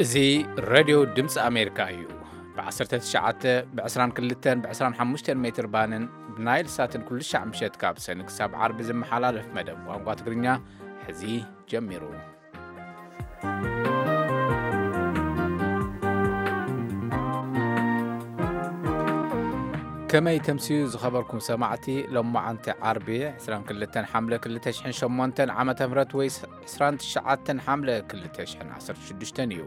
እዚ ሬድዮ ድምፂ ኣሜሪካ እዩ። ብ19፣ ብ22፣ ብ25 ሜትር ባንን ብናይል ሳትን ኩሉ ሻዕ ምሸት ካብ ሰኒ ክሳብ ዓርቢ ዝመሓላለፍ መደብ ቋንቋ ትግርኛ ሕዚ ጀሚሩ። ከመይ ተምስዩ ዝኸበርኩም ሰማዕቲ? ሎማዓንቲ ዓርቢ 22 ሓምለ 2008 ዓመተ ምህረት ወይ 29 ሓምለ 2016 እዩ።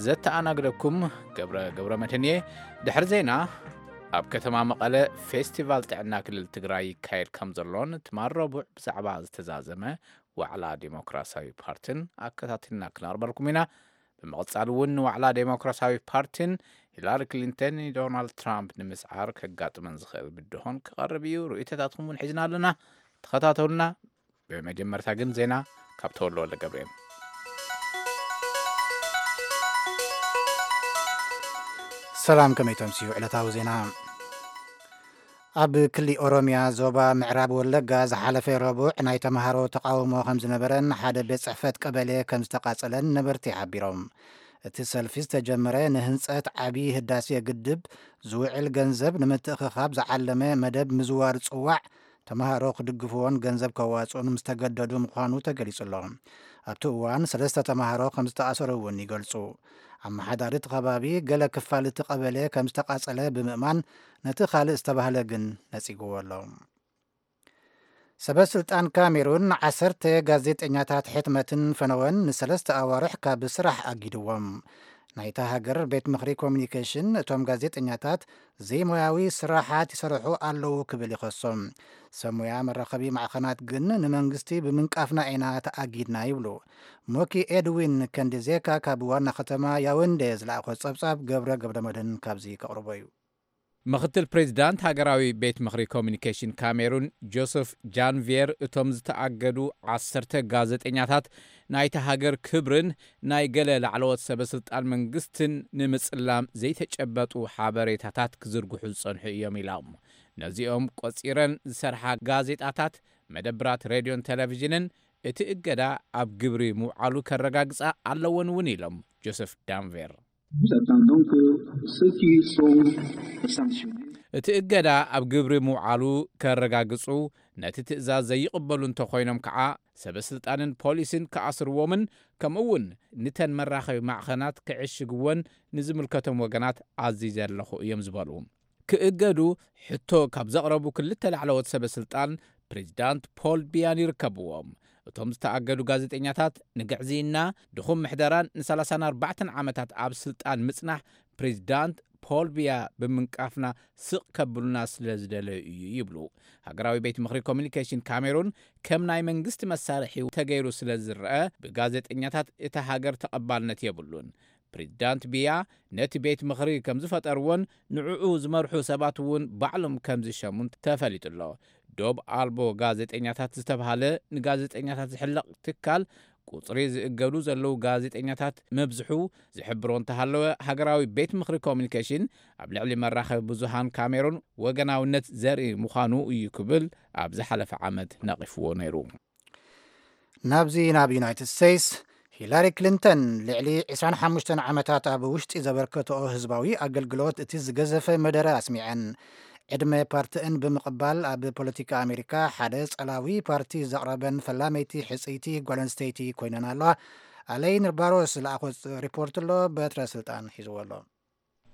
ዘተኣናግደኩም ገብረ ገብረ መድህን እየ። ድሕሪ ዜና፣ ኣብ ከተማ መቐለ ፌስቲቫል ጥዕና ክልል ትግራይ ይካየድ ከም ዘሎን ትማል ረቡዕ ብዛዕባ ዝተዛዘመ ዋዕላ ዴሞክራሲያዊ ፓርትን ኣከታቲልና ክነቕርበልኩም ኢና። ብምቕጻል እውን ንዋዕላ ዴሞክራሲያዊ ፓርትን ሂላሪ ክሊንተን ንዶናልድ ትራምፕ ንምስዓር ከጋጥመን ዝኽእል ብድሆን ክቐርብ እዩ። ርእይቶታትኩም እውን ሒዝና ኣለና። ተኸታተሉና። ብመጀመርታ ግን ዜና ካብ ተወልደ ወልደ ገብርኤል። ሰላም፣ ከመይ ተምስዩ ዕለታዊ ዜና። ኣብ ክሊ ኦሮሚያ ዞባ ምዕራብ ወለጋ ዝሓለፈ ረቡዕ ናይ ተምሃሮ ተቃውሞ ከም ዝነበረን ሓደ ቤት ጽሕፈት ቀበሌ ከም ዝተቃጸለን ነበርቲ ሓቢሮም። እቲ ሰልፊ ዝተጀመረ ንህንጸት ዓቢ ህዳሴ ግድብ ዝውዕል ገንዘብ ንምትእኽኻብ ዝዓለመ መደብ ምዝዋር ጽዋዕ ተምሃሮ ክድግፍዎን ገንዘብ ከዋጽኡን ምስ ተገደዱ ምዃኑ ተገሊጹ ኣሎ። ኣብቲ እዋን ሰለስተ ተምሃሮ ከም ዝተኣሰሩ እውን ይገልጹ። ኣመሓዳሪ እቲ ከባቢ ገለ ክፋል እቲ ቀበሌ ከም ዝተቃጸለ ብምእማን ነቲ ካልእ ዝተባህለ ግን ነጺግዎ ኣሎ። ሰበ ስልጣን ካሜሩን ዓሰርተ ጋዜጠኛታት ሕትመትን ፈነወን ንሰለስተ ኣዋርሕ ካብ ስራሕ ኣጊድዎም። ናይታ ሃገር ቤት ምኽሪ ኮሚኒኬሽን እቶም ጋዜጠኛታት ዘይሞያዊ ስራሓት ይሰርሑ ኣለዉ ክብል ይኸሶም። ሰብ ሞያ መራኸቢ ማዕኸናት ግን ንመንግስቲ ብምንቃፍና ኢና ተኣጊድና ይብሉ። ሞኪ ኤድዊን ከንዲዜካ ካብ ዋና ከተማ ያውንዴ ዝለኣኾ ጸብጻብ ገብረ ገብረ መድህን ካብዚ ከቕርቦ እዩ። ምኽትል ፕሬዚዳንት ሃገራዊ ቤት ምኽሪ ኮሚኒኬሽን ካሜሩን ጆሰፍ ጃንቪየር፣ እቶም ዝተኣገዱ ዓሰርተ ጋዜጠኛታት ናይቲ ሃገር ክብርን ናይ ገለ ላዕለዎት ሰበ ስልጣን መንግስትን ንምጽላም ዘይተጨበጡ ሓበሬታታት ክዝርግሑ ዝጸንሑ እዮም ኢሎም። ነዚኦም ቆጺረን ዝሰርሓ ጋዜጣታት፣ መደብራት ሬድዮን ቴሌቪዥንን እቲ እገዳ ኣብ ግብሪ ምውዓሉ ከረጋግጻ ኣለወን እውን ኢሎም ጆሰፍ ዳንቬር። Nous attendons que ceux qui sont sanctionnés እቲ እገዳ ኣብ ግብሪ ምውዓሉ ከረጋግጹ፣ ነቲ ትእዛዝ ዘይቕበሉ እንተኾይኖም ከዓ ሰበ ስልጣንን ፖሊስን ክኣስርዎምን ከምኡ እውን ንተን መራኸቢ ማዕኸናት ክዕሽግወን ንዝምልከቶም ወገናት ኣዚዘ ኣለኹ እዮም ዝበሉ። ክእገዱ ሕቶ ካብ ዘቕረቡ ክልተ ላዕለዎት ሰበ ስልጣን ፕሬዚዳንት ፖል ቢያን ይርከብዎም። እቶም ዝተኣገዱ ጋዜጠኛታት ንግዕዝይና፣ ድኹም ምሕደራን ን34 ዓመታት ኣብ ስልጣን ምጽናሕ ፕሬዚዳንት ፖል ቢያ ብምንቃፍና ስቕ ከብሉና ስለ ዝደለዩ እዩ ይብሉ። ሃገራዊ ቤት ምኽሪ ኮሚኒኬሽን ካሜሩን ከም ናይ መንግስቲ መሳርሒ ተገይሩ ስለ ዝረአ፣ ብጋዜጠኛታት እታ ሃገር ተቐባልነት የብሉን። ፕሬዚዳንት ቢያ ነቲ ቤት ምኽሪ ከም ዝፈጠርዎን ንዕኡ ዝመርሑ ሰባት እውን ባዕሎም ከም ዝሸሙን ተፈሊጡ ኣሎ። ዶብ ኣልቦ ጋዜጠኛታት ዝተባህለ ንጋዜጠኛታት ዝሕለቕ ትካል፣ ቁጽሪ ዝእገዱ ዘለዉ ጋዜጠኛታት ምብዝሑ ዝሕብሮ እንተሃለወ፣ ሃገራዊ ቤት ምኽሪ ኮሚኒኬሽን ኣብ ልዕሊ መራኸቢ ብዙሃን ካሜሩን ወገናውነት ዘርኢ ምዃኑ እዩ ክብል ኣብ ዝሓለፈ ዓመት ነቒፍዎ ነይሩ። ናብዚ ናብ ዩናይትድ ስቴትስ፣ ሂላሪ ክሊንተን ልዕሊ 25 ዓመታት ኣብ ውሽጢ ዘበርከትኦ ህዝባዊ ኣገልግሎት እቲ ዝገዘፈ መደረ ኣስሚዐን። ዕድመ ፓርቲእን ብምቕባል ኣብ ፖለቲካ ኣሜሪካ ሓደ ጸላዊ ፓርቲ ዘቕረበን ፈላመይቲ ሕጽይቲ ጓል ኣንስተይቲ ኮይነን ኣለዋ። ኣለይን ባሮስ ዝለኣኾ ሪፖርት ኣሎ፣ በትረ ስልጣን ሒዝዎ ኣሎ።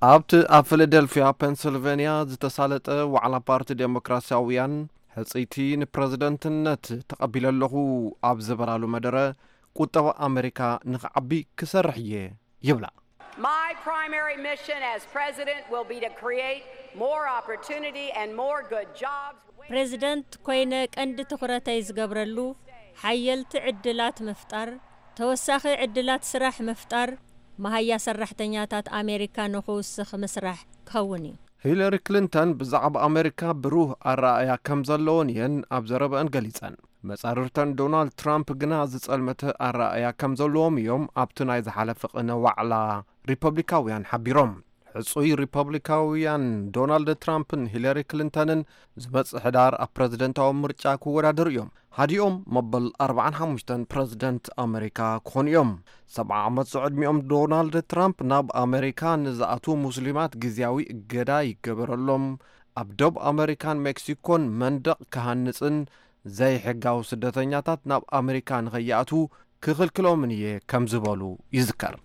ኣብቲ ኣብ ፊላደልፊያ ፔንስልቬንያ ዝተሳለጠ ዋዕላ ፓርቲ ዴሞክራሲያውያን ሕጽይቲ ንፕረዚደንትነት ተቐቢለ ኣለኹ ኣብ ዝበላሉ መደረ፣ ቁጠባ ኣሜሪካ ንኽዓቢ ክሰርሕ እየ ይብላ። My primary mission as president will be to create more opportunity and more good jobs. ፕሬዚደንት ኮይነ ቀንዲ ትኹረተይ ዝገብረሉ ሓየልቲ ዕድላት ምፍጣር፣ ተወሳኺ ዕድላት ስራሕ ምፍጣር፣ መሃያ ሰራሕተኛታት ኣሜሪካ ንኽውስኽ ምስራሕ ክኸውን እዩ። ሂለሪ ክሊንተን ብዛዕባ ኣሜሪካ ብሩህ ኣረኣእያ ከም ዘለወን እየን ኣብ ዘረበአን ገሊጸን። መጻርርተን ዶናልድ ትራምፕ ግና ዝጸልመተ ኣረኣእያ ከም ዘለዎም እዮም ኣብቲ ናይ ዝሓለፈ ቅነ ዋዕላ ሪፐብሊካውያን ሓቢሮም። ሕጹይ ሪፐብሊካውያን ዶናልድ ትራምፕን ሂለሪ ክሊንተንን ዝመጽእ ሕዳር ኣብ ፕረዚደንታዊ ምርጫ ክወዳደሩ እዮም። ሃዲኦም መበል ኣርባዓን ሓሙሽተን ፕረዚደንት ኣመሪካ ክኾኑ እዮም። ሰብዓ ዓመት ዝዕድሚኦም ዶናልድ ትራምፕ ናብ ኣመሪካ ንዝኣትዉ ሙስሊማት ግዝያዊ እገዳ ይገበረሎም፣ ኣብ ደቡብ ኣመሪካን ሜክሲኮን መንደቕ ክሃንጽን ዘይሕጋዊ ስደተኛታት ናብ ኣመሪካ ንኸይኣትዉ ክኽልክሎምን እየ ከም ዝበሉ ይዝከር።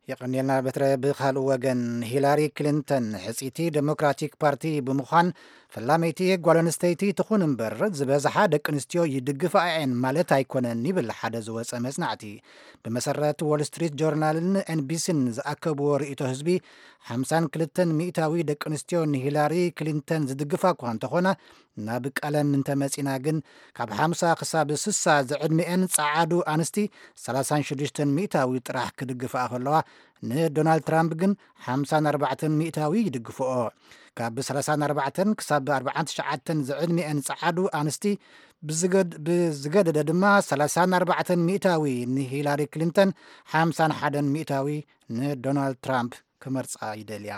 የቐንየልና በትረ። ብኻልእ ወገን ሂላሪ ክሊንተን ሕፅይቲ ዴሞክራቲክ ፓርቲ ብምዃን ፈላመይቲ ጓል ኣንስተይቲ ትኹን እምበር ዝበዝሓ ደቂ ኣንስትዮ ይድግፋ እየን ማለት ኣይኮነን ይብል ሓደ ዝወፀ መፅናዕቲ። ብመሰረት ዎል ስትሪት ጆርናልን ኤንቢሲን ዝኣከብዎ ርእይቶ ህዝቢ ሓምሳን ክልተን ሚእታዊ ደቂ ኣንስትዮ ንሂላሪ ክሊንተን ዝድግፋ እኳ እንተኾና ናብ ቀለም እንተመፂና ግን ካብ ሓምሳ ክሳብ ስሳ ዝዕድሚኤን ጸዓዱ ኣንስቲ ሰላሳን ሽዱሽተን ሚእታዊ ጥራሕ ክድግፍኣ ከለዋ ንዶናልድ ትራምፕ ግን ሓምሳን ኣርባዕተን ሚእታዊ ይድግፍኦ። ካብ ሰላሳን ኣርባዕተን ክሳብ ኣርባዓን ትሽዓተን ዝዕድሚኤን ጸዓዱ ኣንስቲ ብዝገድ- ብዝገደደ ድማ ሰላሳን ኣርባዕተን ሚእታዊ ንሂላሪ ክሊንተን ሓምሳን ሓደን ሚእታዊ ንዶናልድ ትራምፕ ክመርጻ ይደልያ።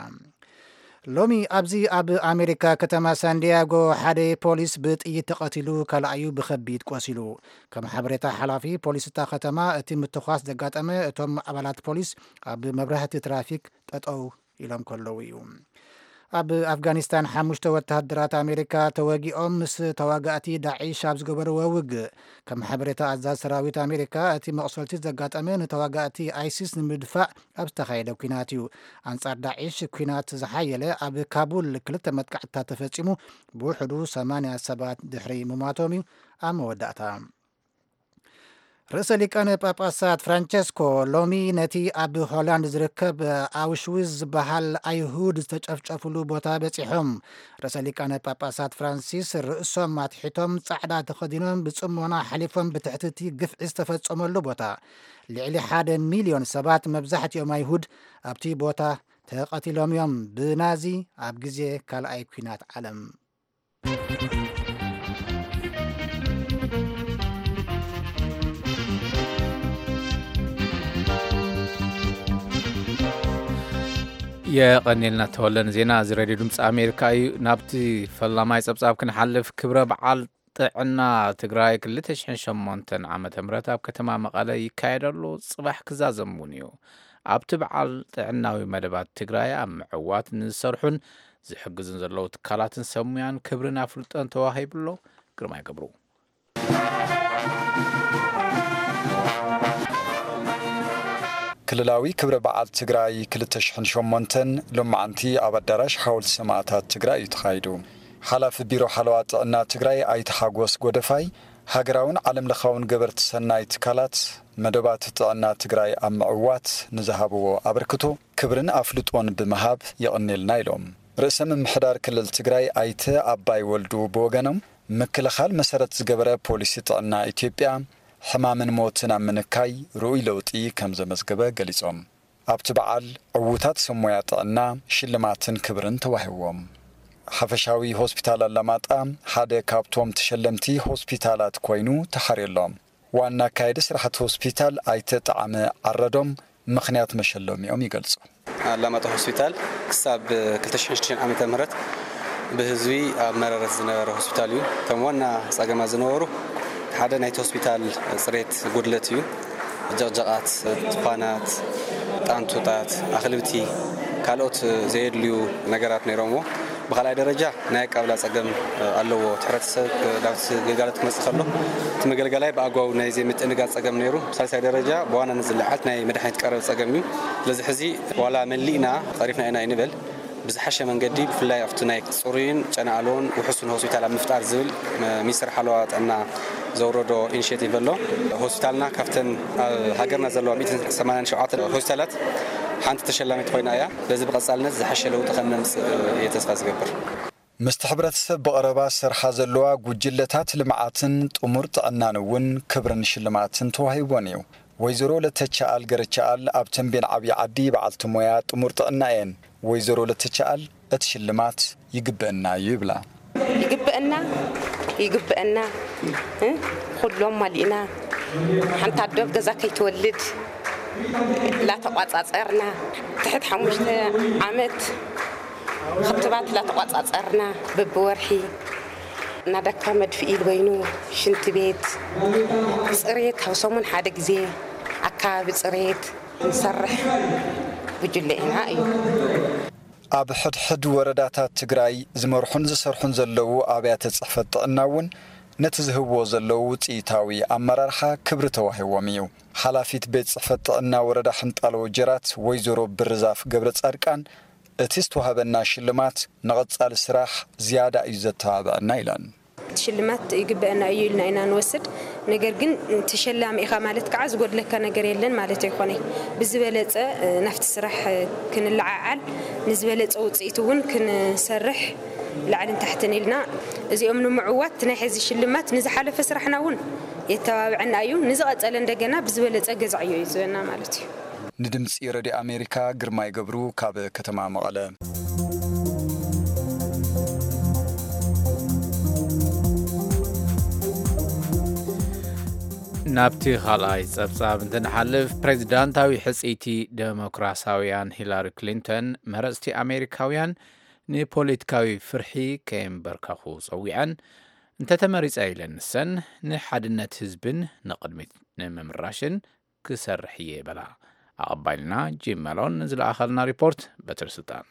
ሎሚ ኣብዚ ኣብ ኣሜሪካ ከተማ ሳንዲያጎ ሓደ ፖሊስ ብጥይት ተቐቲሉ ካልኣዩ ብኸቢድ ቆሲሉ። ከም ሓበሬታ ሓላፊ ፖሊስ እታ ከተማ እቲ ምትኳስ ዘጋጠመ እቶም ኣባላት ፖሊስ ኣብ መብራህቲ ትራፊክ ጠጠው ኢሎም ከለዉ እዩ። ኣብ ኣፍጋኒስታን ሓሙሽተ ወተሃደራት ኣሜሪካ ተወጊኦም ምስ ተዋጋእቲ ዳዒሽ ኣብ ዝገበርዎ ውግእ። ከም ሓበሬታ ኣዛዝ ሰራዊት ኣሜሪካ እቲ መቕሰልቲ ዘጋጠመ ንተዋጋእቲ ኣይሲስ ንምድፋእ ኣብ ዝተኻየደ ኲናት እዩ። ኣንጻር ዳዒሽ ኲናት ዝሓየለ ኣብ ካቡል ክልተ መጥቃዕትታት ተፈጺሙ ብውሕዱ ሰማንያ ሰባት ድሕሪ ምሟቶም እዩ ኣብ መወዳእታ። ርእሰ ሊቃነ ጳጳሳት ፍራንቸስኮ ሎሚ ነቲ ኣብ ሆላንድ ዝርከብ ኣውሽዊዝ ዝበሃል ኣይሁድ ዝተጨፍጨፍሉ ቦታ በጺሖም። ርእሰ ሊቃነ ጳጳሳት ፍራንሲስ ርእሶም ኣትሒቶም ጻዕዳ ተኸዲኖም ብጽሞና ሓሊፎም ብትሕቲ እቲ ግፍዒ ዝተፈጸመሉ ቦታ። ልዕሊ ሓደ ሚልዮን ሰባት መብዛሕትኦም ኣይሁድ ኣብቲ ቦታ ተቐቲሎም እዮም ብናዚ ኣብ ግዜ ካልኣይ ኲናት ዓለም። የቐኔልና ተወለን ዜና እዚ ሬድዮ ድምፂ ኣሜሪካ እዩ። ናብቲ ፈላማይ ፀብፃብ ክንሓልፍ ክብረ በዓል ጥዕና ትግራይ ክልተ ሽሕን ሸሞንተን ዓመተ ምህረት ኣብ ከተማ መቐለ ይካየድ ኣሎ። ፅባሕ ክዛዘም እውን እዩ። ኣብቲ በዓል ጥዕናዊ መደባት ትግራይ ኣብ ምዕዋት ንዝሰርሑን ዝሕግዙን ዘለዉ ትካላትን ሰብ ሙያን ክብርን ኣፍልጦን ተዋሂቡ ኣሎ። ግርማይ ገብሩ። ክልላዊ ክብረ በዓል ትግራይ ክልተ ሽሕን ሸሞንተን ሎማዓንቲ ኣብ ኣዳራሽ ሓወልቲ ሰማእታት ትግራይ እዩ ተኻይዱ። ሓላፊ ቢሮ ሓለዋ ጥዕና ትግራይ ኣይተ ሓጎስ ጎደፋይ፣ ሃገራውን ዓለም ለኻውን ገበርቲ ሰናይ ትካላት መደባት ጥዕና ትግራይ ኣብ ምዕዋት ንዝሃብዎ ኣበርክቶ ክብርን ኣፍልጦን ብምሃብ የቐኔልና ኢሎም። ርእሰ ምምሕዳር ክልል ትግራይ ኣይተ ኣባይ ወልዱ ብወገኖም፣ ምክልኻል መሰረት ዝገበረ ፖሊሲ ጥዕና ኢትዮጵያ ሕማምን ሞትን ኣብ ምንካይ ርኡይ ለውጢ ከም ዘመዝገበ ገሊጾም። ኣብቲ በዓል ዕዉታት ሰብ ሞያ ጥዕና ሽልማትን ክብርን ተዋሂብዎም። ሓፈሻዊ ሆስፒታል ኣላማጣ ሓደ ካብቶም ተሸለምቲ ሆስፒታላት ኮይኑ ተሓርየሎም። ዋና ኣካየዲ ስራሕቲ ሆስፒታል ኣይተ ጣዕመ ዓረዶም ምኽንያት መሸለሚኦም ይገልጹ። ኣላማጣ ሆስፒታል ክሳብ ክልተ ሽሕን ሽዱሽተን ዓመተ ምህረት ብህዝቢ ኣብ መረረት ዝነበረ ሆስፒታል እዩ። እቶም ዋና ጸገማት ዝነበሩ ሓደ ናይቲ ሆስፒታል ጽሬት ጉድለት እዩ። ጀቕጀቓት፣ ቱፋናት፣ ጣንቱታት፣ ኣኽልብቲ፣ ካልኦት ዘየድልዩ ነገራት ነይሮምዎ። ብኻልኣይ ደረጃ ናይ ኣቀብላ ጸገም ኣለዎ። እቲ ሕብረተሰብ ናብቲ ግልጋሎት ክመጽእ ከሎ እቲ መገልገላይ ብኣግባቡ ናይ ዘይምትእንጋድ ጸገም ነይሩ። ሳልሳይ ደረጃ ብዋናነት ዝለዓል ናይ መድሓኒት ቀረብ ጸገም እዩ። ስለዚ ሕዚ ዋላ መሊእና ቀሪፍና ኢና ይንበል፣ ብዝሓሸ መንገዲ ብፍላይ ኣብቲ ናይ ጽሩይን ጨና ኣልቦን ውሑስን ሆስፒታል ኣብ ምፍጣር ዝብል ሚኒስትር ሓለዋ ጥዕና ዘውረዶ ኢኒሼቲቭ ኣሎ። ሆስፒታልና ካብተን ኣብ ሃገርና ዘለዋ ሚእትን ሰማንያን ሸውዓተን ሆስፒታላት ሓንቲ ተሸላሚት ኮይና እያ። በዚ ብቐጻልነት ዝሓሸ ለውጢ ከም ነምጽእ እየ ተስፋ ዝገብር። ምስቲ ሕብረተሰብ ብቐረባ ዝሰርሓ ዘለዋ ጉጅለታት ልምዓትን ጥሙር ጥዕናን እውን ክብርን ሽልማትን ተዋሂቦን እዩ። ወይዘሮ ለተቻኣል ገረቻኣል ኣብ ተንቤን ዓብዪ ዓዲ በዓልቲ ሞያ ጥሙር ጥዕና እየን። ወይዘሮ ለተቻኣል እቲ ሽልማት ይግበአና እዩ ይብላ። ይግበአና፣ ይግበአና፣ እ? ኩሎም ማሊእና ሓንቲ ኣዶ ኣብ ገዛ ከይትወልድ ላተቋጻጸርና ትሕት ሓሙሽተ ዓመት ክትባት ላተቋጻጸርና በብወርሒ ናዳካ መድፍኢ በይኑ ሽንቲ ቤት፣ ፅሬት፣ ካብ ሰሙን ሓደ ግዜ ኣካባቢ ፅሬት ንሰርሕ ጉጅለ ኢና እዩ። ኣብ ሕድሕድ ወረዳታት ትግራይ ዝመርሑን ዝሰርሑን ዘለዉ ኣብያተ ፅሕፈት ጥዕና እውን ነቲ ዝህብዎ ዘለዉ ውፅኢታዊ ኣመራርሓ ክብሪ ተዋሂዎም እዩ። ሓላፊት ቤት ፅሕፈት ጥዕና ወረዳ ሕንጣሎ ወጀራት ወይዘሮ ብርዛፍ ገብረ ፃድቃን፣ እቲ ዝተዋህበና ሽልማት ንቐፃሊ ስራሕ ዝያዳ እዩ ዘተባብዐና ኢለን። እቲ ሽልማት ይግበአና እዩ ኢልና ኢና ንወስድ። ነገር ግን ተሸላሚ ኢኻ ማለት ከዓ ዝጎድለካ ነገር የለን ማለት ኣይኮነይ። ብዝበለፀ ናፍቲ ስራሕ ክንለዓዓል፣ ንዝበለፀ ውፅኢት እውን ክንሰርሕ ላዕልን ታሕትን ኢልና እዚኦም ንምዕዋት ናይ ሕዚ ሽልማት ንዝሓለፈ ስራሕና እውን የተባብዐና እዩ። ንዝቐፀለ እንደገና ብዝበለፀ ገዛዕዮ እዩ ዝበና ማለት እዩ። ንድምፂ ረድዮ ኣሜሪካ ግርማይ ገብሩ ካብ ከተማ መቐለ። ናብቲ ካልኣይ ጸብጻብ እንትንሓልፍ፣ ፕሬዚዳንታዊ ሕጽይቲ ደሞክራሲያውያን ሂላሪ ክሊንተን፣ መረጽቲ ኣሜሪካውያን ንፖለቲካዊ ፍርሒ ከየንበርከኹ ጸዊዐን፣ እንተተመሪጸ ኢለን ንሰን፣ ንሓድነት ህዝብን ንቕድሚት ንምምራሽን ክሰርሕ እየ በላ። ኣቐባይልና ጂም መሎን ንዝለኣኸልና ሪፖርት በትሪ ስልጣን።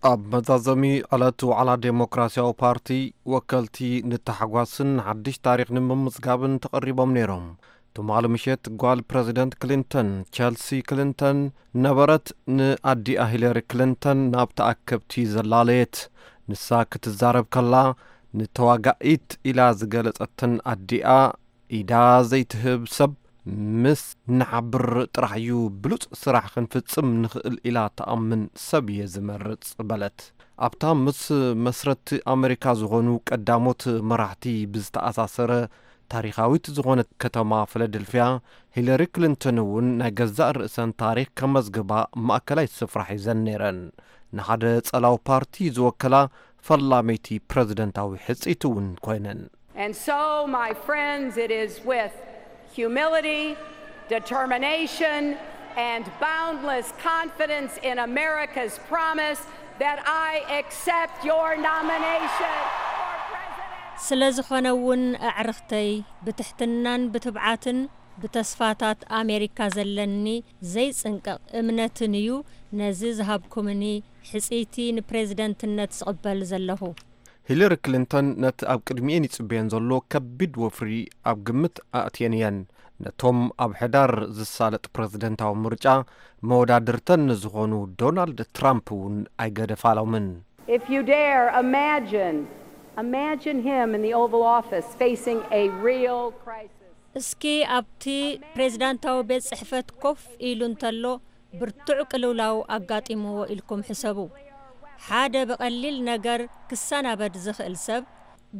ኣብ መዛዘሚ ዕለት ዋዕላ ዴሞክራሲያዊ ፓርቲ ወከልቲ ንታሕጓስን ሓድሽ ታሪኽ ንምምዝጋብን ተቐሪቦም ነይሮም። ትማሊ ምሸት ጓል ፕረዚደንት ክሊንተን ቸልሲ ክሊንተን ነበረት ንኣዲኣ ሂለሪ ክሊንተን ናብ ተኣከብቲ ዘላለየት። ንሳ ክትዛረብ ከላ ንተዋጋኢት ኢላ ዝገለጸተን ኣዲኣ ኢዳ ዘይትህብ ሰብ ምስ ንሓብር ጥራሕ እዩ ብሉጽ ስራሕ ክንፍጽም ንኽእል ኢላ ትኣምን ሰብ እየ ዝመርጽ በለት። ኣብታ ምስ መስረቲ ኣመሪካ ዝኾኑ ቀዳሞት መራሕቲ ብዝተኣሳሰረ ታሪኻዊት ዝኾነት ከተማ ፊላደልፍያ ሂለሪ ክሊንተን እውን ናይ ገዛእ ርእሰን ታሪኽ ከመዝግባ ማእከላይ ስፍራ ሒዘን ነይረን። ንሓደ ጸላዊ ፓርቲ ዝወከላ ፈላመይቲ ፕረዚደንታዊ ሕጽይቲ እውን ኮይነን። And so, my friends, it is with humility, determination, and boundless confidence in America's promise that I accept your nomination for president. ስለ ዝኾነ እውን ኣዕርኽተይ ብትሕትናን ብትብዓትን ብተስፋታት ኣሜሪካ ዘለኒ ዘይጽንቀቕ እምነትን እዩ ነዚ ዝሃብኩምኒ ሕጽይቲ ንፕሬዝደንትነት ዝቕበል ዘለኹ። ሂለሪ ክሊንተን ነቲ ኣብ ቅድሚኤን ይጽበየን ዘሎ ከቢድ ወፍሪ ኣብ ግምት ኣእትየን እየን። ነቶም ኣብ ሕዳር ዝሳለጥ ፕረዚደንታዊ ምርጫ መወዳድርተን ንዝኾኑ ዶናልድ ትራምፕ እውን ኣይገደፋሎምን። If you dare, imagine, imagine him in the Oval Office facing a real crisis. እስኪ ኣብቲ ፕሬዝዳንታዊ ቤት ጽሕፈት ኮፍ ኢሉ እንተሎ ብርቱዕ ቅልውላው ኣጋጢምዎ ኢልኩም ሕሰቡ። ሓደ ብቐሊል ነገር ክሰናበድ ዝኽእል ሰብ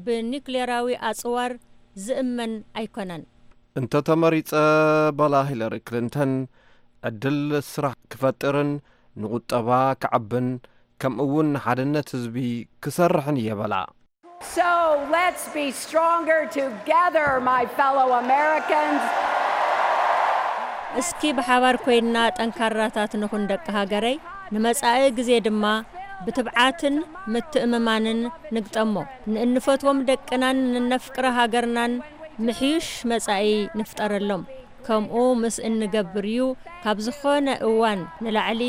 ብኒክሌራዊ ኣጽዋር ዝእመን ኣይኮነን። እንተ ተመሪጸ፣ በላ ሂለሪ ክሊንተን፣ ዕድል ስራሕ ክፈጥርን ንቁጠባ ከዕብን ከምኡ'ውን ንሓድነት ህዝቢ ክሰርሕን እየ በላ። So let's be stronger together, my fellow Americans. እስኪ ብሓባር ኮይንና ጠንካራታት ንኹን ደቂ ሃገረይ፣ ንመጻኢ ግዜ ድማ ብትብዓትን ምትእምማንን ንግጠሞ። ንእንፈትዎም ደቅናን ንነፍቅራ ሃገርናን ምሕዩሽ መጻኢ ንፍጠረሎም። ከምኡ ምስ እንገብር እዩ ካብ ዝኾነ እዋን ንላዕሊ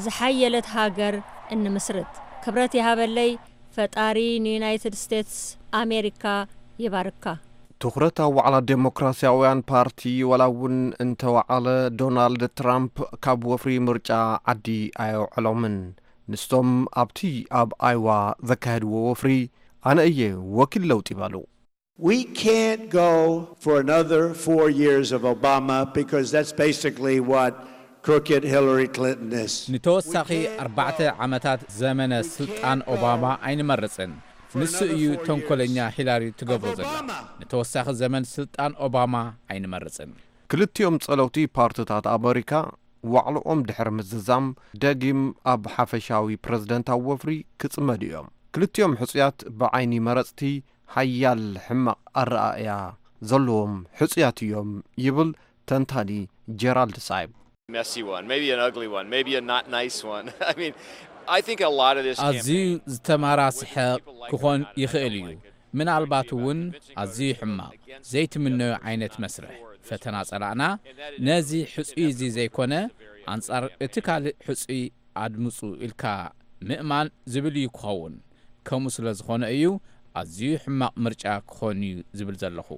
ዝሓየለት ሃገር እንምስርት። ክብረት ይሃበለይ። ፈጣሪ ንዩናይትድ ስቴትስ ኣሜሪካ ይባርካ። ትኹረት ኣብ ዋዕላ ዴሞክራሲያውያን ፓርቲ ዋላ እውን እንተወዓለ ዶናልድ ትራምፕ ካብ ወፍሪ ምርጫ ዓዲ ኣየውዕሎምን። ንሶም ኣብቲ ኣብ ኣይዋ ዘካየድዎ ወፍሪ ኣነ እየ ወኪል ለውጢ በሉ። We can't go for another four years of Obama because that's basically what crooked Hillary Clinton is. ንተወሳኺ ኣርባዕተ ዓመታት ዘመነ ስልጣን ኦባማ ኣይንመርጽን። ንሱ እዩ ተንኮለኛ ሂላሪ ትገብሮ ዘላ። ንተወሳኺ ዘመን ስልጣን ኦባማ ኣይንመርጽን። ክልቲኦም ጸለውቲ ፓርትታት ኣመሪካ ዋዕልኦም ድሕሪ ምዝዛም ደጊም ኣብ ሓፈሻዊ ፕረዚደንታዊ ወፍሪ ክጽመዱ እዮም። ክልቲኦም ሕጹያት ብዓይኒ መረጽቲ ሓያል ሕማቕ ኣረኣእያ ዘለዎም ሕጹያት እዮም ይብል ተንታኒ ጀራልድ ሳይብ። Messy one, maybe an ugly one, maybe a not nice one. I mean, I think a lot of this ኣዝዩ ዝተማራስሐ ክኾን ይኽእል እዩ። ምናልባት እውን ኣዝዩ ሕማቕ ዘይትምነዮ ዓይነት መስርሕ ፈተና ጸላእና፣ ነዚ ሕጹይ እዚ ዘይኮነ ኣንጻር እቲ ካልእ ሕጹይ ኣድምጹ ኢልካ ምእማን ዝብል እዩ ክኸውን። ከምኡ ስለ ዝኾነ እዩ ኣዝዩ ሕማቕ ምርጫ ክኾን እዩ ዝብል ዘለኹ።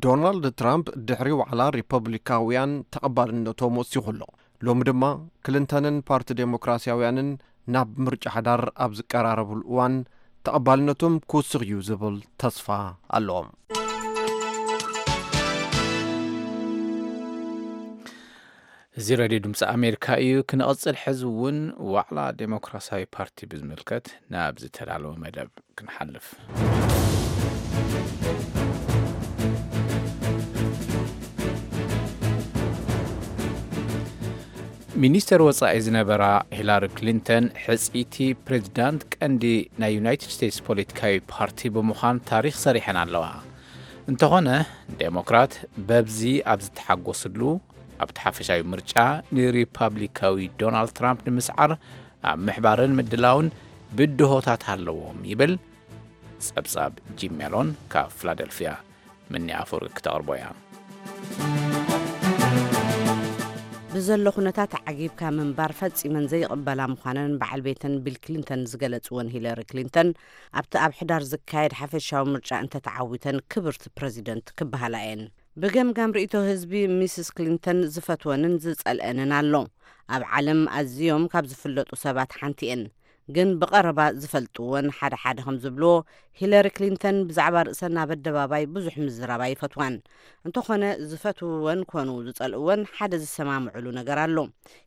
ዶናልድ ትራምፕ ድሕሪ ዋዕላ ሪፐብሊካውያን ተቐባልነቶም ወሲኹ ኣሎ። ሎሚ ድማ ክሊንተንን ፓርቲ ዴሞክራሲያውያንን ናብ ምርጫ ሓዳር ኣብ ዝቀራረብሉ እዋን ተቐባልነቶም ክውስኽ እዩ ዝብል ተስፋ ኣለዎም። እዚ ሬድዮ ድምፂ ኣሜሪካ እዩ። ክንቐፅል ሕዚ እውን ዋዕላ ዴሞክራሲያዊ ፓርቲ ብዝምልከት ናብ ዝተዳለወ መደብ ክንሓልፍ። ሚኒስተር ወጻኢ ዝነበራ ሂላሪ ክሊንተን ሕጽይቲ ፕሬዚዳንት ቀንዲ ናይ ዩናይትድ ስቴትስ ፖለቲካዊ ፓርቲ ብምዃን ታሪኽ ሰሪሐን ኣለዋ። እንተኾነ ዴሞክራት በብዚ ኣብ ዝተሓጎስሉ ኣብቲ ሓፈሻዊ ምርጫ ንሪፓብሊካዊ ዶናልድ ትራምፕ ንምስዓር ኣብ ምሕባርን ምድላውን ብድሆታት ኣለዎም ይብል ጸብጻብ ጂም ሜሎን ካብ ፊላደልፊያ። ምኒ ኣፈወርቂ ክተቕርቦ እያ። ብዘሎ ኩነታት ዓጊብካ ምንባር ፈጺመን ዘይቕበላ ምዃነን በዓል ቤተን ቢል ክሊንተን ዝገለጽወን ሂለሪ ክሊንተን ኣብቲ ኣብ ሕዳር ዝካየድ ሓፈሻዊ ምርጫ እንተተዓዊተን ክብርቲ ፕረዚደንት ክበሃላ እየን። ብገምጋም ርእይቶ ህዝቢ ሚስስ ክሊንተን ዝፈትወንን ዝጸልአንን ኣሎ። ኣብ ዓለም ኣዝዮም ካብ ዝፍለጡ ሰባት ሓንቲ እየን። ግን ብቐረባ ዝፈልጥወን ሓደ ሓደ ከም ዝብልዎ ሂለሪ ክሊንተን ብዛዕባ ርእሰን ኣብ ኣደባባይ ብዙሕ ምዝራብ ኣይፈትዋን። እንተኾነ ዝፈትውወን ኮኑ ዝጸልእወን ሓደ ዝሰማምዕሉ ነገር ኣሎ።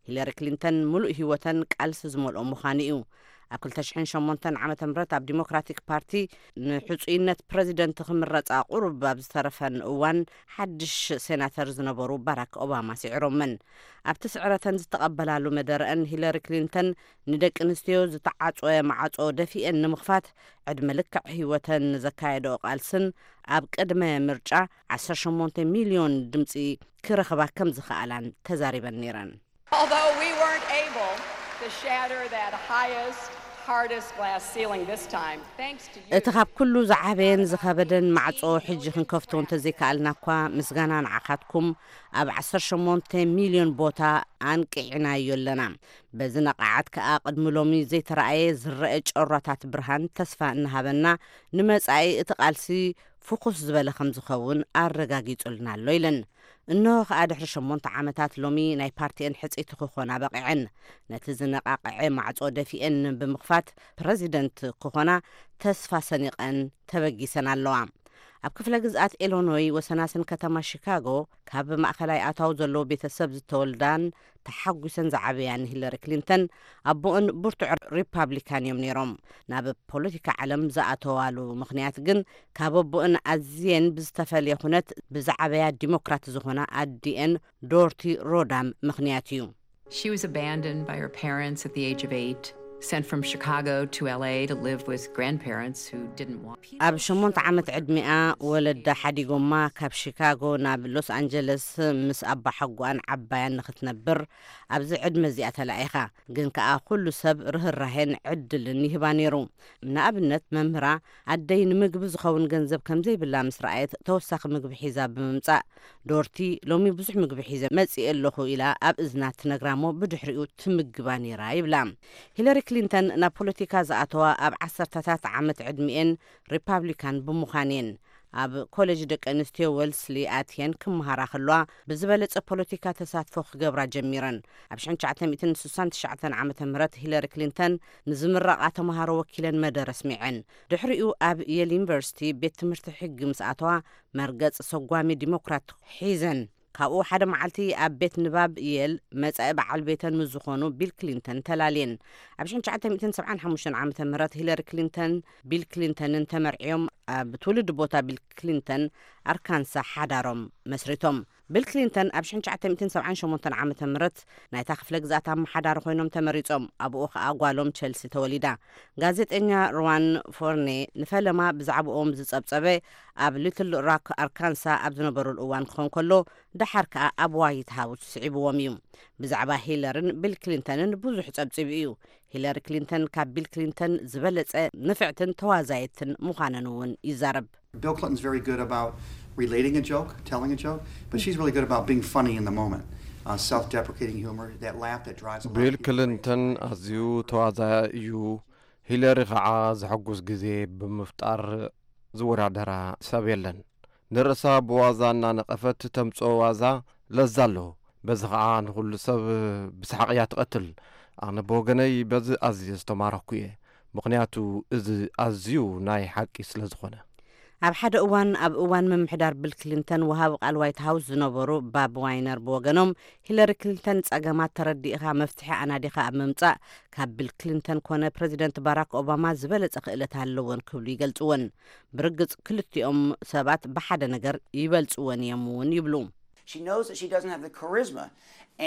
ሂለሪ ክሊንተን ምሉእ ህይወተን ቃልሲ ዝመልኦ ምዃኑ እዩ። ኣብ ክልተ ሽሕን ሸሞንተን ዓመተ ምህረት ኣብ ዲሞክራቲክ ፓርቲ ንሕጹይነት ፕረዚደንት ክምረጻ ቁሩብ ኣብ ዝተረፈን እዋን ሓድሽ ሴናተር ዝነበሩ ባራክ ኦባማ ስዒሮመን። ኣብቲ ስዕረተን ዝተቐበላሉ መደረአን ሂለሪ ክሊንተን ንደቂ ኣንስትዮ ዝተዓጽወ ማዕጾ ደፊኤን ንምኽፋት ዕድመ ልክዕ ህይወተን ንዘካየደኦ ቃልስን ኣብ ቅድመ ምርጫ ዓሰርተ ሸሞንተ ሚልዮን ድምጺ ክረኽባ ከም ዝኸኣላን ተዛሪበን ነይረን። Although we weren't able to shatter that highest, hardest glass ceiling this time, thanks to you. እቲ ካብ ኩሉ ዝዓበየን ዝኸበደን ማዕጾ ሕጂ ክንከፍቶ እንተዘይከኣልና እኳ ምስጋና ንዓኻትኩም ኣብ ዓሰርተ ሸሞንተ ሚልዮን ቦታ ኣንቂዕናዮ ኣለና። በዚ ነቓዓት ከኣ ቅድሚ ሎሚ ዘይተረኣየ ዝረአ ጨራታት ብርሃን ተስፋ እናሃበና ንመጻኢ እቲ ቃልሲ ፍኹስ ዝበለ ከም ዝኸውን ኣረጋጊጹልና ኣሎ ኢለን። እንሆ ከኣ ድሕሪ ሸሞንተ ዓመታት ሎሚ ናይ ፓርቲኤን ሕጽይቲ ክኾና በቒዐን። ነቲ ዝነቓቕዐ ማዕጾ ደፊኤን ብምኽፋት ፕረዚደንት ክኾና ተስፋ ሰኒቐን ተበጊሰን ኣለዋ። ኣብ ክፍለ ግዝኣት ኢሎኖይ ወሰናስን ከተማ ሺካጎ ካብ ማእኸላይ ኣታዊ ዘለዎ ቤተሰብ ዝተወልዳን ተሓጒሰን ዝዓበያን ሂለሪ ክሊንተን ኣቦኦን ብርቱዕ ሪፓብሊካን እዮም ነይሮም። ናብ ፖለቲካ ዓለም ዝኣተዋሉ ምኽንያት ግን ካብ ኣቦኦን ኣዝየን ብዝተፈለየ ኩነት ብዝዓበያ ዲሞክራት ዝኾና ኣዲኤን ዶርቲ ሮዳም ምኽንያት እዩ። She was abandoned by her parents at the age of eight, sent from Chicago to L A to live with grandparents who didn't want ኣብ ሸሞንተ ዓመት ዕድሚኣ ወለዳ ሓዲጎማ ካብ ሺካጎ ናብ ሎስ ኣንጀለስ ምስ ኣባሓጎኣን ዓባያን ንኽትነብር ኣብዚ ዕድመ እዚኣ ተላኢኻ። ግን ከኣ ኩሉ ሰብ ርህራሄን ዕድልን ይህባ ነይሩ። ንኣብነት መምህራ ኣደይ ንምግቢ ዝኸውን ገንዘብ ከም ዘይብላ ምስ ረኣየት ተወሳኺ ምግቢ ሒዛ ብምምጻእ ዶርቲ ሎሚ ብዙሕ ምግቢ ሒዘ መጺኤ ኣለኹ ኢላ ኣብ እዝና ትነግራሞ ብድሕሪኡ ትምግባ ነይራ ይብላ። ሂለሪ ክሊንተን ናብ ፖለቲካ ዝኣተዋ ኣብ ዓሰርተታት ዓመት ዕድሚኤን ሪፓብሊካን ብምዃን እየን። ኣብ ኮሌጅ ደቂ ኣንስትዮ ወልስሊ ኣትየን ክመሃራ ከለዋ ብዝበለጸ ፖለቲካ ተሳትፎ ክገብራ ጀሚረን። ኣብ ሽሕን ትሽዓተ ሚእትን ስሳን ትሽዓተን ዓመተ ምህረት ሂለሪ ክሊንተን ንዝምረቓ ተመሃሮ ወኪለን መደረ ኣስሚዐን። ድሕሪኡ ኣብ የል ዩኒቨርሲቲ ቤት ትምህርቲ ሕጊ ምስ ኣተዋ መርገጽ ሰጓሚ ዲሞክራት ሒዘን። ካብኡ ሓደ መዓልቲ ኣብ ቤት ንባብ የል መጻኢ በዓል ቤተን ምስ ዝኾኑ ቢል ክሊንተን ተላልየን። ኣብ ሽሕን ትሽዓተ ሚእትን ሰብዓን ሓሙሽተን ዓመተ ምህረት ሂለሪ ክሊንተን ቢል ክሊንተንን ተመርዕዮም ኣብ ትውልዲ ቦታ ቢል ክሊንተን ኣርካንሳ ሓዳሮም መስሪቶም። ቢል ክሊንተን ኣብ ሽሕን ትሽዓተ ሚእትን ሰብዓን ሸሞንተን ዓመተ ምህረት ናይታ ክፍለ ግዝኣት ኣመሓዳሪ ኮይኖም ተመሪጾም። ኣብኡ ከኣ ጓሎም ቸልሲ ተወሊዳ። ጋዜጠኛ ሩዋን ፎርኔ ንፈለማ ብዛዕባኦም ዝጸብጸበ ኣብ ሊትል ሮክ ኣርካንሳ ኣብ ዝነበሩሉ እዋን ክኾን ከሎ፣ ደሓር ከኣ ኣብ ዋይት ሃውስ ስዒብዎም እዩ። ብዛዕባ ሂለርን ቢል ክሊንተንን ብዙሕ ጸብጺቡ እዩ። ሂለሪ ክሊንተን ካብ ቢል ክሊንተን ዝበለጸ ንፍዕትን ተዋዛየትን ምዃነን እውን ይዛረብ። Bill Clinton's very good about relating a joke, telling a joke, but she's really good about being funny in the moment. Uh, self-deprecating humor, that laugh that drives a lot of ቢል people crazy. ክሊንተን ኣዝዩ ተዋዛያ እዩ። ሂለሪ ከዓ ዘሐጉስ ግዜ ብምፍጣር ዝወዳደራ ሰብ የለን። ንርእሳ ብዋዛ እናነቐፈት ተምፅኦ ዋዛ ለዛ ኣለዎ። በዚ ከዓ ንኹሉ ሰብ ብሰሓቕ እያ ትቐትል። ኣነ ብወገነይ በዚ ኣዝየ ዝተማረኽኩ እየ፣ ምኽንያቱ እዚ ኣዝዩ ናይ ሓቂ ስለ ዝኾነ። ኣብ ሓደ እዋን ኣብ እዋን ምምሕዳር ቢል ክሊንተን ወሃቢ ቃል ዋይት ሃውስ ዝነበሩ ባብ ዋይነር ብወገኖም፣ ሂለሪ ክሊንተን ጸገማት ተረዲእኻ መፍትሒ ኣናዲኻ ኣብ ምምጻእ ካብ ቢል ክሊንተን ኮነ ፕረዚደንት ባራክ ኦባማ ዝበለጸ ክእለት ኣለወን ክብሉ ይገልጽወን። ብርግጽ ክልቲኦም ሰባት ብሓደ ነገር ይበልጽወን እዮም እውን ይብሉ። She knows that she doesn't have the charisma,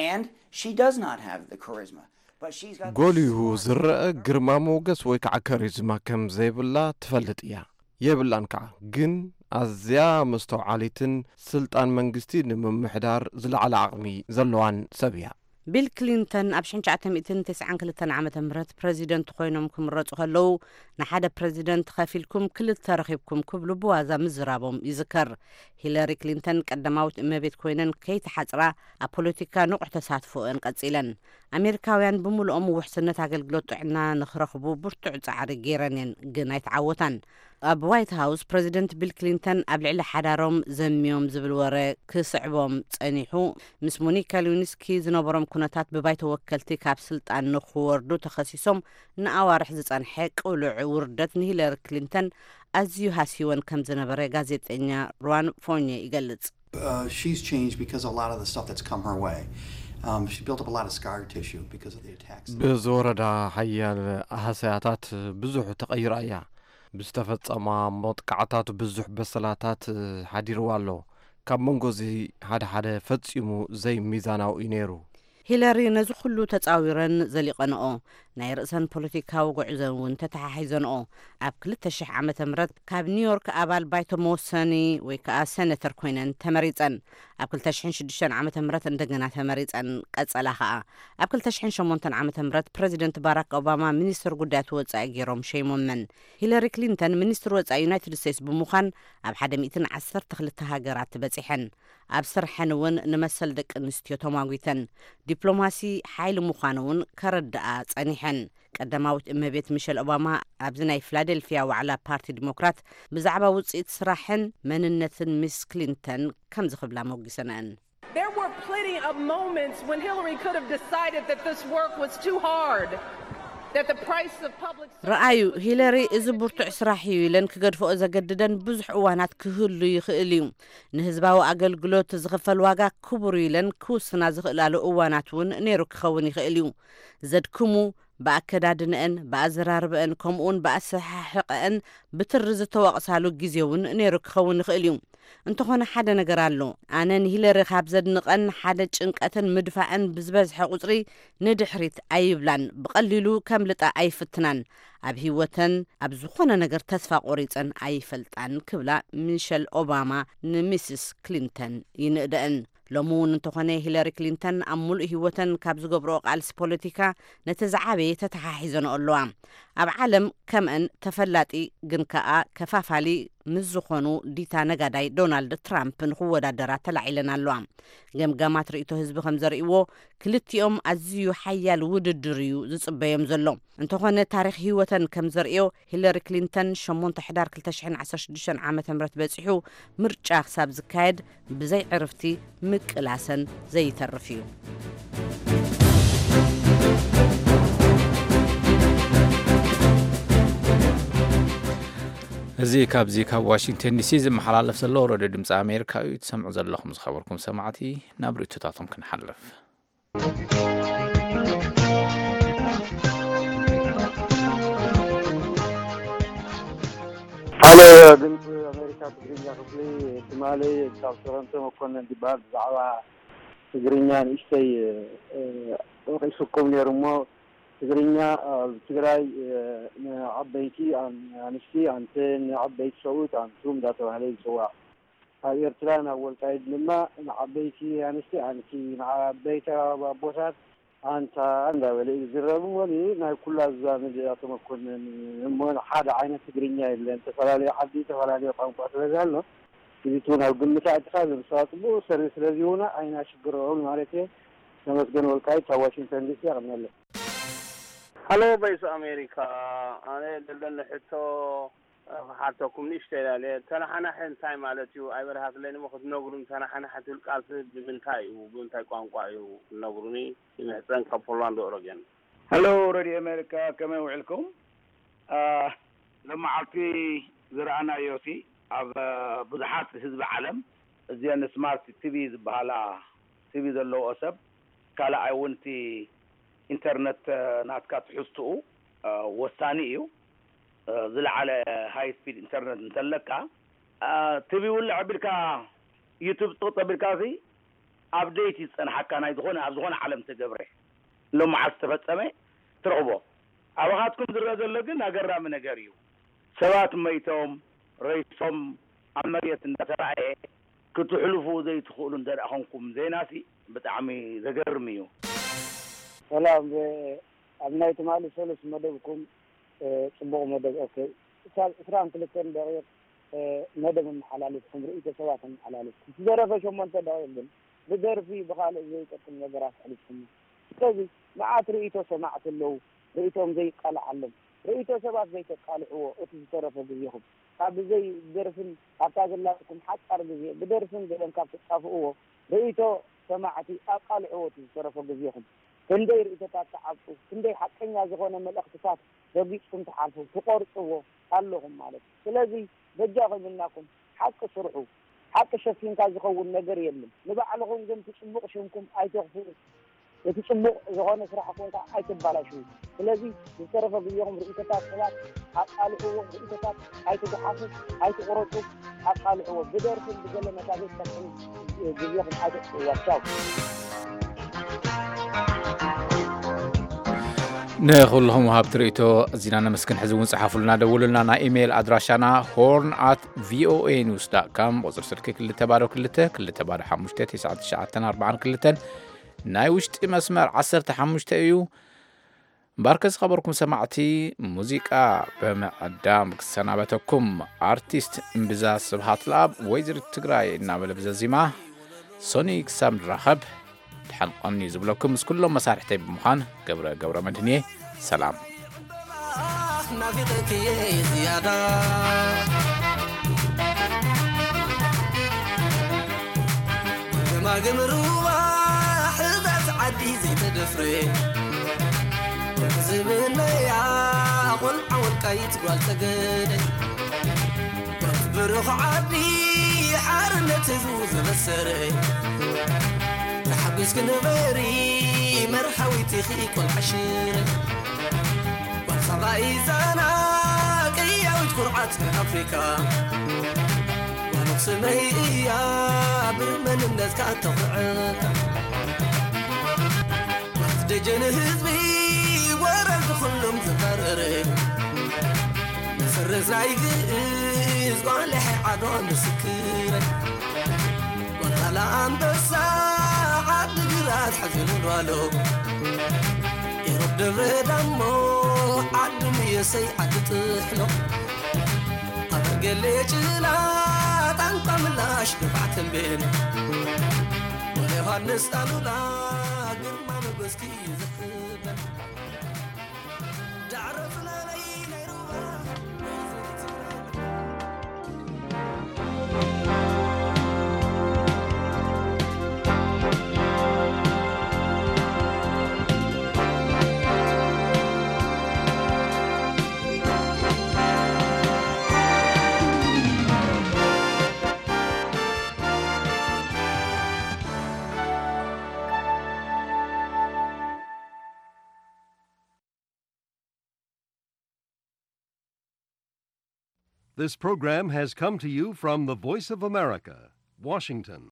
and she does not have the charisma. But she's got the ጎሊሁ smarts ዝረአ ግርማ ሞገስ ወይ ከዓ ከሪዝማ ከም ዘይብላ ትፈልጥ እያ። የብላን ከዓ፣ ግን ኣዝያ መስተውዓሊትን ስልጣን መንግስቲ ንምምሕዳር ዝለዓለ ዓቕሚ ዘለዋን ሰብ እያ። ቢል ክሊንተን ኣብ ሽሕን ትሽዓተ ሚእትን ተስዓን ክልተን ዓመተ ምህረት ፕረዚደንት ኮይኖም ክምረጹ ከለዉ፣ ንሓደ ፕረዚደንት ከፊልኩም ክልተ ረኺብኩም ክብሉ ብዋዛ ምዝራቦም ይዝከር። ሂለሪ ክሊንተን ቀዳማዊት እመቤት ኮይነን ከይተሓጽራ ኣብ ፖለቲካ ንቑሕ ተሳትፎአን ቀጺለን። ኣሜሪካውያን ብምሉኦም ውሕስነት ኣገልግሎት ጥዕና ንኽረኽቡ ብርቱዕ ጻዕሪ ገይረን እየን፣ ግን ኣይተዓወታን። ኣብ ዋይት ሃውስ ፕረዚደንት ቢል ክሊንተን ኣብ ልዕሊ ሓዳሮም ዘምዮም ዝብል ወረ ክስዕቦም ጸኒሑ። ምስ ሞኒካ ሊዊንስኪ ዝነበሮም ኩነታት ብባይቶ ወከልቲ ካብ ስልጣን ንኽወርዱ ተኸሲሶም ንኣዋርሕ ዝጸንሐ ቅሉዕ ውርደት ንሂለሪ ክሊንተን ኣዝዩ ሃስይወን ከም ዝነበረ ጋዜጠኛ ሩዋን ፎርኒየ ይገልጽ። Uh, she's changed because of a lot of the stuff that's come her way. Um, she built up a lot of scar tissue because of the attacks. ብዝወረዳ ሓያል ሃሰያታት ብዙሕ ተቐይራ እያ። ብዝተፈጸማ መጥቃዕታት ብዙሕ በሰላታት ሓዲርዋ ኣሎ። ካብ መንጎ እዚ ሓደ ሓደ ፈጺሙ ዘይሚዛናዊ እዩ ነይሩ። ሂለሪ ነዚ ኩሉ ተጻዊረን ዘሊቐንኦ፣ ናይ ርእሰን ፖለቲካዊ ጉዕዘን እውን ተተሓሒዘንኦ። ኣብ ክልተ ሽሕ ዓመተ ምህረት ካብ ኒውዮርክ ኣባል ባይቶ መወሰኒ ወይ ከዓ ሴኔተር ኮይነን ተመሪጸን። ኣብ ክልተ ሽሕን ሽዱሽተን ዓመተ ምህረት እንደገና ተመሪጸን ቀጸላ ከዓ። ኣብ ክልተ ሽሕን ሸሞንተን ዓመተ ምህረት ፕረዚደንት ባራክ ኦባማ ሚኒስትር ጉዳያት ወጻኢ ገይሮም ሸይሞመን። ሂለሪ ክሊንተን ሚኒስትር ወጻኢ ዩናይትድ ስቴትስ ብምዃን ኣብ ሓደ ሚእትን ዓሰርተ ክልተ ሃገራት በጺሐን። ኣብ ስርሐን እውን ንመሰል ደቂ ኣንስትዮ ተሟጒተን። ዲፕሎማሲ ሓይሊ ምዃኑ እውን ከረድኣ ጸኒሐን። ቀዳማዊት እመቤት ሚሸል ኦባማ ኣብዚ ናይ ፊላደልፊያ ዋዕላ ፓርቲ ዲሞክራት ብዛዕባ ውጽኢት ስራሕን መንነትን ሚስ ክሊንተን ከምዚ ክብላ ሞጊሰንአን። There were plenty of moments when Hillary could have decided that this work was too hard, that the price of public service ረኣዩ፣ was too ሂለሪ high, እዚ that she ብርቱዕ was ስራሕ እዩ ኢለን ክገድፈኦ ዘገድደን ብዙሕ እዋናት ክህሉ ይኽእል እዩ። ንህዝባዊ ኣገልግሎት ዝኽፈል ዋጋ ክቡር እዩ ኢለን ክውስና ዝኽእላሉ እዋናት እውን ነይሩ ክኸውን ይኽእል እዩ። ዘድክሙ፣ ብኣከዳድንአን፣ ብኣዘራርበአን፣ ከምኡውን ብኣሰሓሕቐአን ብትሪ ዝተወቕሳሉ ግዜ እውን ነይሩ ክኸውን ይኽእል እዩ። እንተኾነ ሓደ ነገር ኣሎ። ኣነ ንሂለሪ ካብ ዘድንቐን ሓደ፣ ጭንቀትን ምድፋእን ብዝበዝሐ ቁጽሪ ንድሕሪት ኣይብላን፣ ብቐሊሉ ከምልጣ ኣይፍትናን። ኣብ ህይወተን ኣብ ዝኾነ ነገር ተስፋ ቆሪጸን ኣይፈልጣን ክብላ ሚሸል ኦባማ ንሚስስ ክሊንተን ይንእደአን። ሎሚ እውን እንተኾነ ሂለሪ ክሊንተን ኣብ ሙሉእ ህይወተን ካብ ዝገብርኦ ቃልሲ ፖለቲካ ነቲ ዝዓበየ ተተሓሒዘንኦ ኣለዋ። ኣብ ዓለም ከምአን ተፈላጢ ግን ከኣ ከፋፋሊ ምስ ዝኾኑ ዲታ ነጋዳይ ዶናልድ ትራምፕ ንኽወዳደራ ተላዒለን ኣለዋ። ገምጋማት ርእይቶ ህዝቢ ከም ዘርእይዎ ክልቲኦም ኣዝዩ ሓያል ውድድር እዩ ዝጽበዮም ዘሎ። እንተኾነ ታሪኽ ህይወተን ከም ዘርእዮ ሂለሪ ክሊንተን ሸሞንተ ሕዳር ክልተ ሽሕን ዓሰርተ ሽዱሽተን ዓመተ ምህረት በጺሑ ምርጫ ክሳብ ዝካየድ ብዘይ ዕርፍቲ ምቅላሰን ዘይተርፍ እዩ። እዚ ካብዚ ካብ ዋሽንግተን ዲሲ ዝመሓላለፍ ዘሎ ረድዮ ድምፂ ኣሜሪካ እዩ። ትሰምዑ ዘለኹም ዝኸበርኩም ሰማዕቲ፣ ናብ ርእይቶታቶም ክንሓልፍ። ሓደ ድምፂ ኣሜሪካ ትግርኛ ክፍሊ ትማሊ ካብ ቶሮንቶ መኮነን ዝበሃል ብዛዕባ ትግርኛ ንእሽተይ ወቂሱኩም ነይሩ እሞ፣ ትግርኛ ኣብ ትግራይ ንዓበይቲ ኣንስቲ ኣንተ፣ ንዓበይቲ ሰብኡት ኣንቱም እንዳተባህለ ይፅዋዕ። ኣብ ኤርትራ ናብ ወልቃይት ድማ ንዓበይቲ ኣንስቲ ኣንቲ፣ ንዓበይቲ ኣቦታት ኣንታ እንዳበለ እዩ ዝዝረብ እሞ፣ ናይ ኩላ ዝዛመድ ኣቶ መኮንን እሞ፣ ሓደ ዓይነት ትግርኛ የለን። ዝተፈላለዩ ዓዲ፣ ዝተፈላለዩ ቋንቋ ስለ ዘሎ፣ እዚ እውን ኣብ ግምት ኣእቲኻ፣ እዚ ምሳዋ ጽቡቕ ሰርቪስ ስለ ዝህቡና ኣይናሽግሮም ማለት እየ። ተመስገን ወልቃይት ካብ ዋሽንግተን ዲሲ፣ የቐንየለይ። ሃሎ ቮይስ ኣሜሪካ፣ ኣነ ዘለኒ ሕቶ ክሓተኩም ንእሽተይ ኢለ። ተናሓናሒ እንታይ ማለት እዩ? ኣይበርሃትለይን እሞ ክትነግሩኒ፣ ተናሓናሒ ትብል ቃልሲ ብምንታይ እዩ? ብምንታይ ቋንቋ እዩ ክትነግሩኒ? ይምሕጸን ካብ ፖላንድ ኦረገን። ሃሎ ሬድዮ ኣሜሪካ፣ ከመይ ውዕልኩም? አ፣ ሎመዓልቲ ዝረኣናዮ ሲ ኣብ፣ አ፣ ብዙሓት ህዝቢ ዓለም እዚአን ስማርት ቲቪ ዝበሃላ ቲቪ ዘለዎ ሰብ ካልኣይ እውን እቲ ኢንተርነት፣ አ፣ ናትካ ትሕዝትኡ፣ አ፣ ወሳኒ እዩ። አ፣ ዝለዓለ ሃይ ስፒድ ኢንተርነት እንተለካ፣ አ፣ ቲቪ ውልዕ ኣቢልካ ዩቱብ ጥቕጥ ኣቢልካ ሲ ኣፕዴት እዩ ዝጸንሓካ ናይ ዝኾነ ኣብ ዝኾነ ዓለም ተገብረ። ሎመዓልቲ ዝተፈጸመ ትረኽቦ። ኣባኻትኩም ዝረአ ዘሎ ግን ኣገራሚ ነገር እዩ። ሰባት መይቶም፣ ሬሶም ኣብ መሬት እንዳተራእየ ክትሕልፉ ዘይትኽእሉ እንተ ደኣ ኾንኩም ዜናሲ ብጣዕሚ ዘገርም እዩ። ሰላም፣ ብ-፣ ኣብ ናይ ትማሊ ሰሉስ መደብኩም፣ እ፣ ጽቡቕ መደብ፣ ኦኬ፣ ክሳብ ዕስራን ክልተን ደቂቕ፣ እ፣ መደብ ኣመሓላሊፍኩም፣ ርእይቶ ሰባት ኣመሓላሊፍኩም። ዝደረፈ ሸሞንተ ደቂቕ ግን ብደርፊ ብኻልእ ዘይጠቅም ነገራት ኣሕሊፍኩም። ስለዚ መዓት ርእይቶ ሰማዕቲ ኣለዉ፣ ርእይቶም ዘይቃላዓሎም። ርእይቶ ሰባት ዘይተቃልዕዎ እቲ ዝተረፈ ግዜኹም። ካብ ብዘይ ደርፍን ኣብታ ዘላትኩም ሓጻር ግዜ ብደርፍን ገለን ካብ ትጣፍእዎ፣ ርእይቶ ሰማዕቲ ኣቃልዕዎ እቲ ዝተረፈ ግዜኹም። ክንደይ ርእይቶታት ትዓብጡ፣ ክንደይ ሓቀኛ ዝኾነ መልእኽትታት ረጊጽኩም ትሓልፉ፣ ትቖርጽዎ ኣለኹም ማለት እዩ። ስለዚ በጃኹም ኢልናኩም ሓቂ ስርሑ። ሓቂ ሸፊንካ ዝኸውን ነገር የለን። ንባዕልኹም ግን እቲ ጽቡቕ ሽምኩም ኣይተኽፍኡ። እቲ ጽቡቕ ዝኾነ ስራሕኩም ከኣ ኣይተባላሽዉ። ስለዚ ዝተረፈ ግዜኹም ርእይቶታት ሰባት ኣቃልዕዎ፣ ርእይቶታት ኣይትጉሓፉ፣ ኣይትቑረጹ፣ ኣቃልዕዎ። ብደርፍን ብገለ ነታ ዘይትጠቅም ግዜኹም ኣይተጥፍእዋ። ቻው። ንኹልኹም ወሃብቲ ርእይቶ ኣዚና ነመስግን። ሕዚ እውን ጽሓፉልና፣ ደውሉልና። ናይ ኢሜይል ኣድራሻና ሆርን ኣት ቪኦኤ ኒውስ ዳት ካም፣ ቁጽሪ ስልኪ ክልተ ባዶ ክልተ፣ ክልተ ባዶ ሓሙሽተ፣ ትሽዓተ ትሽዓተ ኣርባዓን ክልተን፣ ናይ ውሽጢ መስመር ዓሰርተ ሓሙሽተ እዩ። እምበኣርከ ዝኸበርኩም ሰማዕቲ፣ ሙዚቃ ብምዕዳም ክሰናበተኩም፣ ኣርቲስት እምብዛ ስብሃት ለኣብ ወይዘሪት ትግራይ እናበለ ብዘዚማ፣ ሶኒ ክሳብ ንራኸብ፣ ደሓን ቆኒ ዝብለኩም ምስ ኩሎም መሳርሕተይ ብምዃን ገብረ ገብረ መድህንየ። ሰላም። ናፊቐኪ ዝያዳ ገማግም ሩባ ሕዛዝ ዓዲ ዘይተደፍረ ዝብለያ ቆልዓ ወልቃይት ጓል ጸገደ ብሩኽ ዓዲ ሓርነት ህዝቡ ዘበሰረ ተሓጒስኪ ንበሪ መርሃዊት ኢኺ ቆልዓ ሽረ ጓል ሳባ ኢዛና ቅያዊት ኩርዓት ኣፍሪካ ጓል ኣኽሱመይ እያ ብመንነትካ እተኹዕካ ደጀን ህዝቢ ወረድ ኩሎም ዝፈረረ መሰረት ናይ ግእዝ ጓልሐ ዓዶ ምስክረ ጓልካላ ኣንበሳ ዓዲ ግራት ሓዘን ወልዋሎ ኢሮብ ደብረ ዳሞ ዓዲ ምየሰይ ዓዲ ጥሕሎ ኣበርገሌ ጭላ ጣንቋ ምላሽ ድፋዕ ተንቤን ወለ ዮሃንስ ኣሉላ ግርማ ሞገስኪ እዩ ዝሕበን ዳዕሮ ፍለለይ ናይ ሩባ This program has come to you from the Voice of America, Washington.